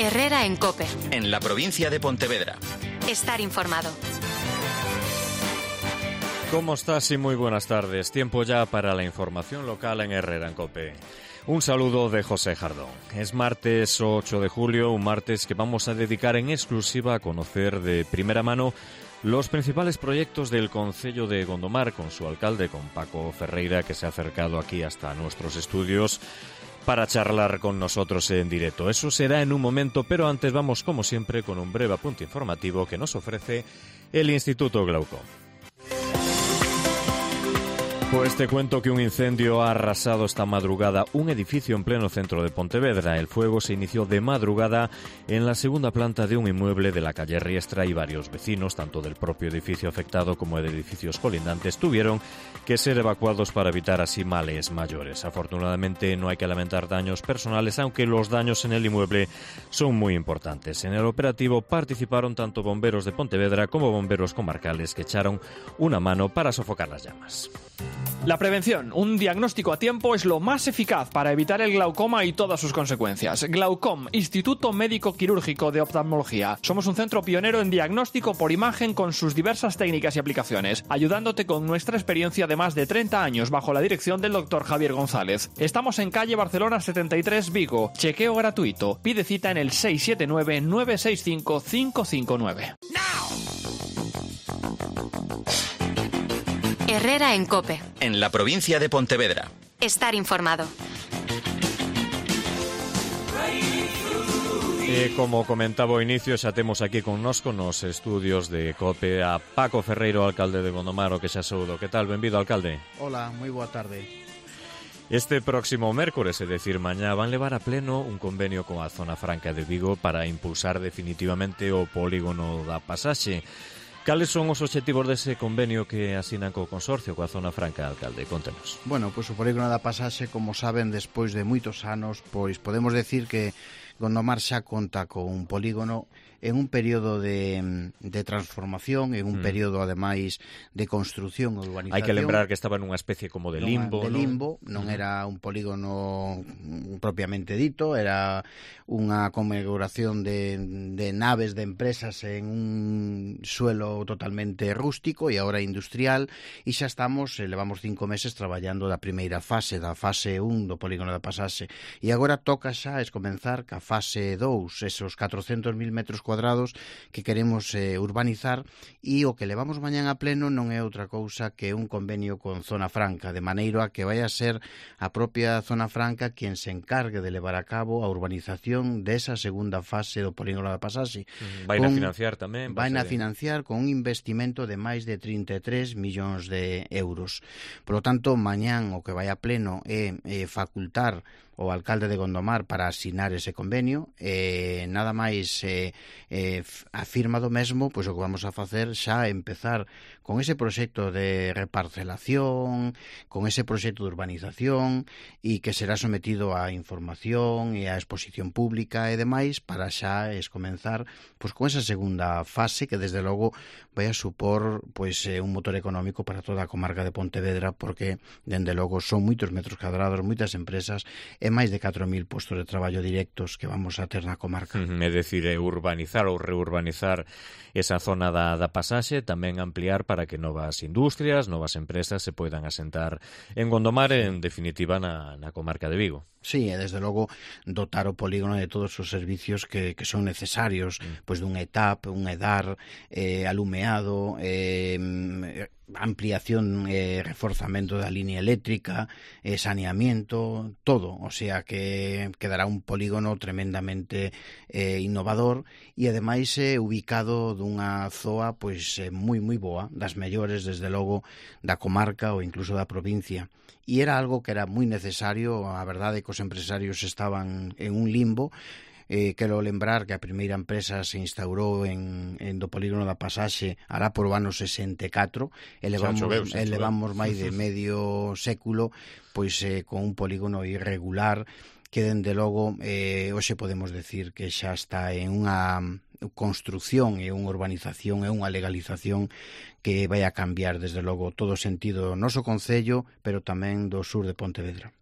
Herrera en COPE. En la provincia de Pontevedra. Estar informado. ¿Cómo estás? Y muy buenas tardes. Tiempo ya para la información local en Herrera en COPE. Un saludo de José Jardón. Es martes 8 de julio, un martes que vamos a dedicar en exclusiva a conocer de primera mano los principales proyectos del Concello de Gondomar con su alcalde, con Paco Ferreira, que se ha acercado aquí hasta nuestros estudios para charlar con nosotros en directo. Eso será en un momento, pero antes vamos, como siempre, con un breve apunte informativo que nos ofrece el Instituto Glaucom. Pues te cuento que un incendio ha arrasado esta madrugada un edificio en pleno centro de Pontevedra. El fuego se inició de madrugada en la segunda planta de un inmueble de la calle Riestra y varios vecinos, tanto del propio edificio afectado como de edificios colindantes, tuvieron que ser evacuados para evitar así males mayores. Afortunadamente no hay que lamentar daños personales, aunque los daños en el inmueble son muy importantes. En el operativo participaron tanto bomberos de Pontevedra como bomberos comarcales que echaron una mano para sofocar las llamas. La prevención, un diagnóstico a tiempo, es lo más eficaz para evitar el glaucoma y todas sus consecuencias. Glaucom, Instituto Médico Quirúrgico de Oftalmología. Somos un centro pionero en diagnóstico por imagen con sus diversas técnicas y aplicaciones, ayudándote con nuestra experiencia de más de 30 años bajo la dirección del Dr. Javier González. Estamos en calle Barcelona 73, Vigo. Chequeo gratuito. Pide cita en el 679-965-559. Herrera en COPE. En la provincia de Pontevedra. Estar informado. Como comentaba ao inicio, xa temos aquí connosco nos estudios de COPE a Paco Ferreiro, alcalde de Gondomar, o que xa saúdo. Que tal? Benvido, alcalde. Hola, moi boa tarde. Este próximo mércores, é dicir, mañá, van levar a pleno un convenio con a Zona Franca de Vigo para impulsar definitivamente o polígono da Pasaxe. Cales son os obxectivos dese convenio que asinan co consorcio coa Zona Franca, alcalde? Contenos. Bueno, pois o polígono da Pasaxe, como saben, despois de moitos anos, pois podemos decir que Gondomar xa conta con un polígono en un período de transformación, en un período, ademais, de construción e urbanización. Hai que lembrar que estaba nunha especie como de limbo, non era un polígono propiamente dito, era unha configuración de naves de empresas en un suelo totalmente rústico e agora industrial, e xa estamos, levamos 5 meses traballando da primeira fase, da fase 1 do polígono da Pasaxe, e agora toca xa comenzar ca fase 2, esos 400.000 metros cuadrados que queremos urbanizar, e o que levamos mañán a pleno non é outra cousa que un convenio con Zona Franca, de maneira a que vai a ser a propia Zona Franca quen se encargue de levar a cabo a urbanización desa segunda fase do polígono da Pasaxe. Vai a financiar tamén? Vai a financiar con un investimento de máis de 33 millóns de euros. Por lo tanto, mañán o que vai a pleno é facultar o alcalde de Gondomar para asinar ese convenio, nada máis a firma do mesmo, pois o que vamos a facer xa é empezar con ese proxecto de reparcelación, con ese proxecto de urbanización, e que será sometido a información e a exposición pública e demais, para xa comenzar pois con esa segunda fase que desde logo vai a supor pois un motor económico para toda a comarca de Pontevedra, porque dende logo son moitos metros cuadrados, moitas empresas e máis de 4.000 postos de traballo directos que vamos a ter na comarca. É dicir, urbanizar ou reurbanizar esa zona da Pasaxe, tamén ampliar para que novas industrias, novas empresas se poidan asentar en Gondomar, en definitiva na comarca de Vigo. Sí, e desde logo dotar o polígono de todos os servicios que son necesarios, pois dun ETAP, un EDAR, alumeado, ampliación e reforzamento da línea eléctrica, saneamiento, todo, o sea que quedará un polígono tremendamente innovador e ademais ubicado dunha zoa pois moi boa, das mellores desde logo da comarca ou incluso da provincia, e era algo que era moi necesario. A verdade é que os empresarios estaban en un limbo. Quero lembrar que a primeira empresa se instaurou en do polígono da Pasaxe alá por o ano 64, e levamos máis de medio século pois con un polígono irregular que dende logo hoxe podemos decir que xa está en unha construción e unha urbanización e unha legalización que vai a cambiar desde logo todo o sentido do noso concello, pero tamén do sur de Pontevedra.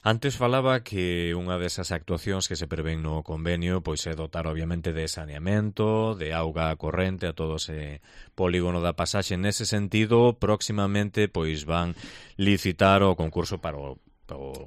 Antes falaba que unha desas actuacións que se prevén no convenio pois é dotar obviamente de saneamento, de auga corrente a todo ese polígono da pasaxe. Nese sentido, próximamente pois van licitar o concurso para o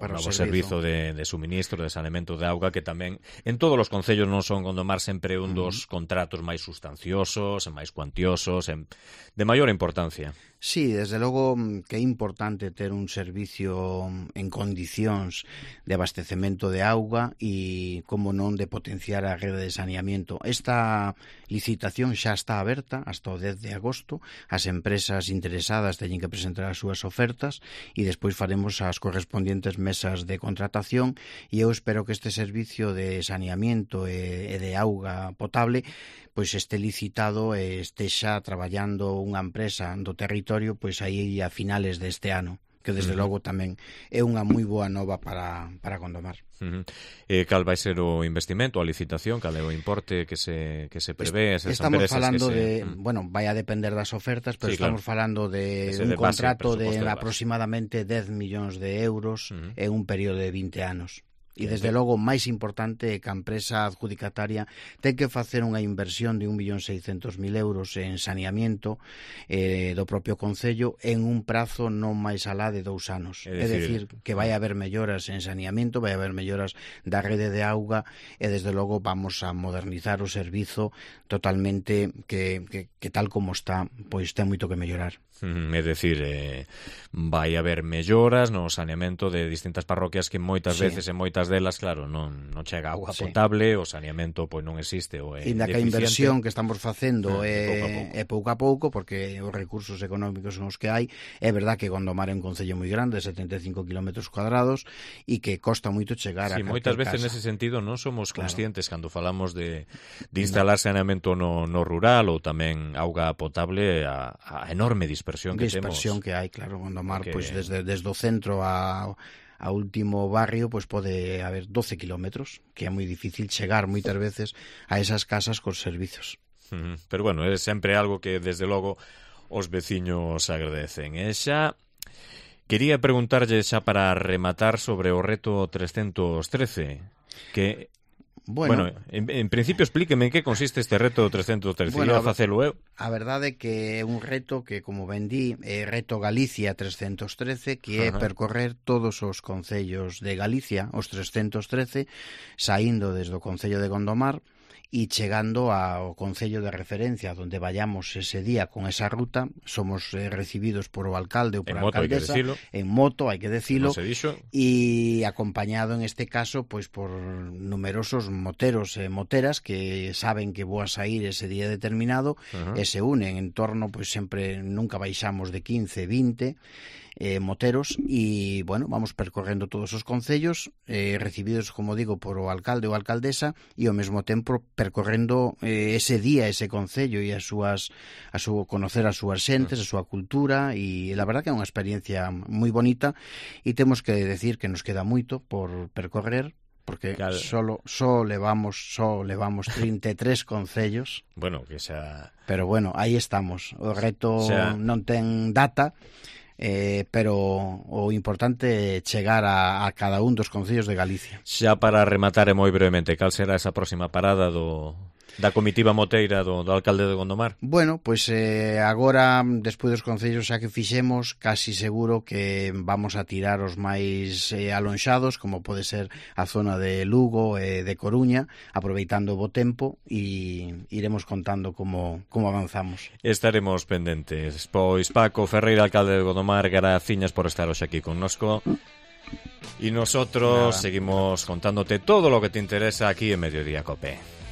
novo servizo de suministro, de saneamento de auga, que tamén en todos os concellos non son Gondomar sempre un dos contratos máis sustanciosos, máis cuantiosos, de maior importancia. Sí, desde logo que é importante ter un servicio en condicións de abastecemento de auga e, como non, de potenciar a rede de saneamento. Esta licitación xa está aberta hasta o 10 de agosto. As empresas interesadas teñen que presentar as súas ofertas e despois faremos as correspondientes mesas de contratación, e eu espero que este servicio de saneamento e de auga potable pois este licitado e estexa traballando unha empresa do territorio pois aí a finales deste ano, que desde logo tamén é unha moi boa nova para Gondomar. Cal vai ser o investimento, a licitación, cal é o importe que se prevé? Estamos falando de, bueno, vai a depender das ofertas, pero sí, estamos falando de un contrato de aproximadamente 10 millóns de euros en un período de 20 anos. E desde logo, máis importante é que a empresa adjudicataria ten que facer unha inversión de 1.600.000 euros en saneamiento do propio concello en un prazo non máis alá de 2 anos. É dicir, que vai haber melloras en saneamiento, vai haber melloras da rede de auga e desde logo vamos a modernizar o servizo totalmente que tal como está, pois ten moito que mellorar. É dicir, vai haber melloras no saneamento de distintas parroquias que moitas veces en moitas delas, claro, non chega agua potable, o saneamento pois non existe ou é deficiente. Que a inversión que estamos facendo é pouco a pouco, porque os recursos económicos son os que hai. É verdad que Gondomar é un concello moi grande, 75 km cuadrados, e que costa moito chegar a calquer casa. Moitas veces nese sentido non somos conscientes cando falamos de instalar saneamento no rural ou tamén auga potable a enorme dispersión que hai, claro. Gondomar, pois desde o centro a último barrio, pois pode haber 12 kilómetros, que é moi difícil chegar moitas veces a esas casas cos servizos. Pero bueno, é sempre algo que desde logo os veciños agradecen. E xa quería preguntarlle xa para rematar sobre o reto 313, que Bueno, en principio explíqueme en que consiste este reto 313. Bueno, facelo eu. A verdade é que é un reto que, como ben di, é Reto Galicia 313, que é percorrer todos os concellos de Galicia, os 313, saindo desde o concello de Gondomar e chegando ao concello de referencia onde vayamos ese día con esa ruta. Somos recibidos por o alcalde ou por a alcaldesa en moto, hai que decilo, e acompañado en este caso pois por numerosos moteros e moteras que saben que vou a sair ese día determinado e se unen en torno, pois sempre nunca baixamos de 15, 20 moteros, e, bueno, vamos percorrendo todos os concellos, recibidos, como digo, por o alcalde ou alcaldesa, e ao mesmo tempo percorrendo ese día, ese concello, e conocer as súas xentes, a súa cultura, e la verdad que é unha experiencia moi bonita, e temos que decir que nos queda moito por percorrer, porque só levamos 33 concellos. Bueno, que xa... Pero bueno, aí estamos. O reto non ten data, pero o importante é chegar a cada un dos concellos de Galicia. Xa para rematar e moi brevemente, cal será esa próxima parada da comitiva moteira do alcalde de Gondomar? Bueno, pois agora, despois dos concellos xa que fixemos, casi seguro que vamos a tirar os máis alonxados, como pode ser a zona de Lugo e de Coruña, aproveitando o bo tempo, e iremos contando como avanzamos. Estaremos pendentes. Pois Paco Ferreira, alcalde de Gondomar, graciñas por estar hoxe aquí connosco. Y nosotros seguimos contándote todo lo que te interesa aquí en Mediodía Cope.